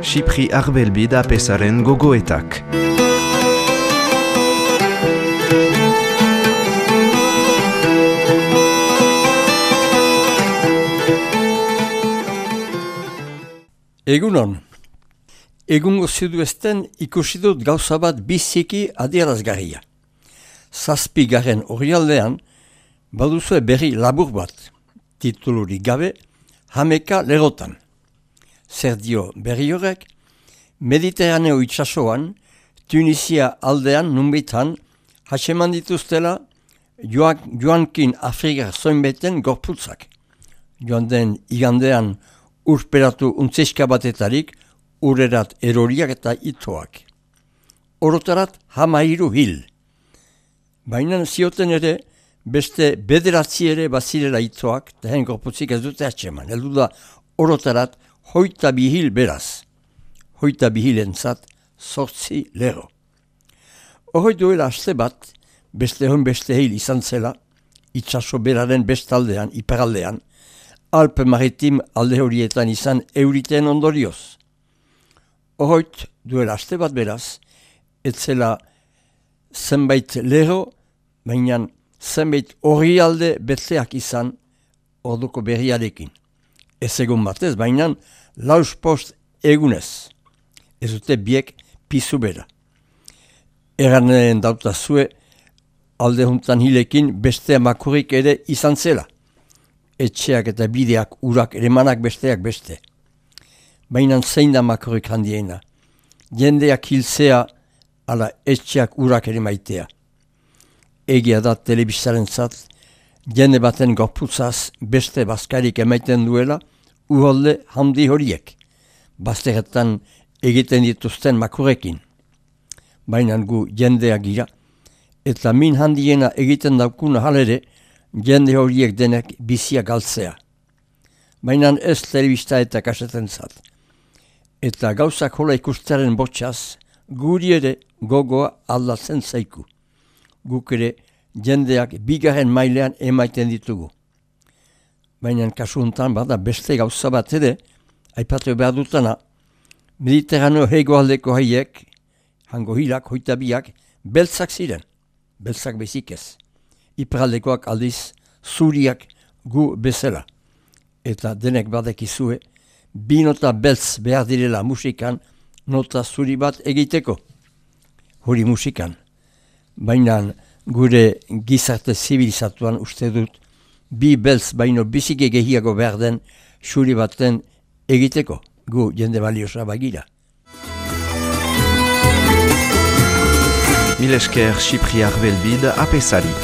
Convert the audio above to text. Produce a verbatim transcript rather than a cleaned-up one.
Xipri Arbelbid apesaren gogoetak. Egunon, egungo ziduesten ikusi dut gauza bat biziki adierazgarria. Zazpigaren orrialdean baduzue berri labur bat, titulurik gabe, Hameka Lerotan. Zer dio berri horrek, Mediterraneo itsasoan, Tunisia aldean nunbitan, hatseman dituztela joak, joankin Afrikar zoinbeten gorputzak. Joan den igandean urperatu untzeska batetarik urerat eroriak eta itoak. Orotarat hamairu hil. Baina zioten ere beste bederatzi ere bazirela itoak, tehen gorputzik ez dute atseman. Heldu da orotarat hoita bihil beraz. Hoita bihilentzat sortzi lero. Horroi duela aste bat, beste hon beste hil izan zela, itsaso beraren bestaldean, iparaldean, Alpe Maritim alde horietan izan euriten ondorioz. Horroit duela aste bat beraz, etzela zenbait lero, baina zenbait orrialde betleak izan orduko berriarekin. Ez egun batez, baina laus post egunez. Ez dute biek pizu bera. Eranen dauta zue, alde juntan hilekin beste makurik ere izan zela. Etxeak eta bideak urak eremanak besteak beste. Baina zein da makorik handiena. Jendeak hiltzea ala etxeak urak ere maitea. Egia da telebistaren zat, jende baten gorputzaz beste bazkarik emaiten duela uholde handi horiek. Bazteretan egiten dituzten makurekin. Baina gu jendeak gira, eta min handiena egiten daukuna halere, jende horiek denek bizia galtzea. Baina ez telebista eta kaseten zat. Eta gauzak hola ikustaren botxaz, guri ere gogoa aldatzen zaiku. Guk ere jendeak bigarren mailean emaiten ditugu. Baina kasu hontan bada beste gauza bat ere, aipatu behar dutana, Mediterraneo hegoaldeko haiek, hango hilak, hoita biak, beltzak ziren, beltzak bezik ez. Iparaldekoak aldiz, zuriak gu bezala. Eta denek badekizue, bi nota beltz behar direla musikan, nota zuri bat egiteko. Hori musikan. Baina gure gizarte zibilizatuan uste dut, bi beltz baino bizike gehiago behar den zuri baten egiteko. Gu jende baliosa bagira. Mil esker Xipri Arbelbid apesari.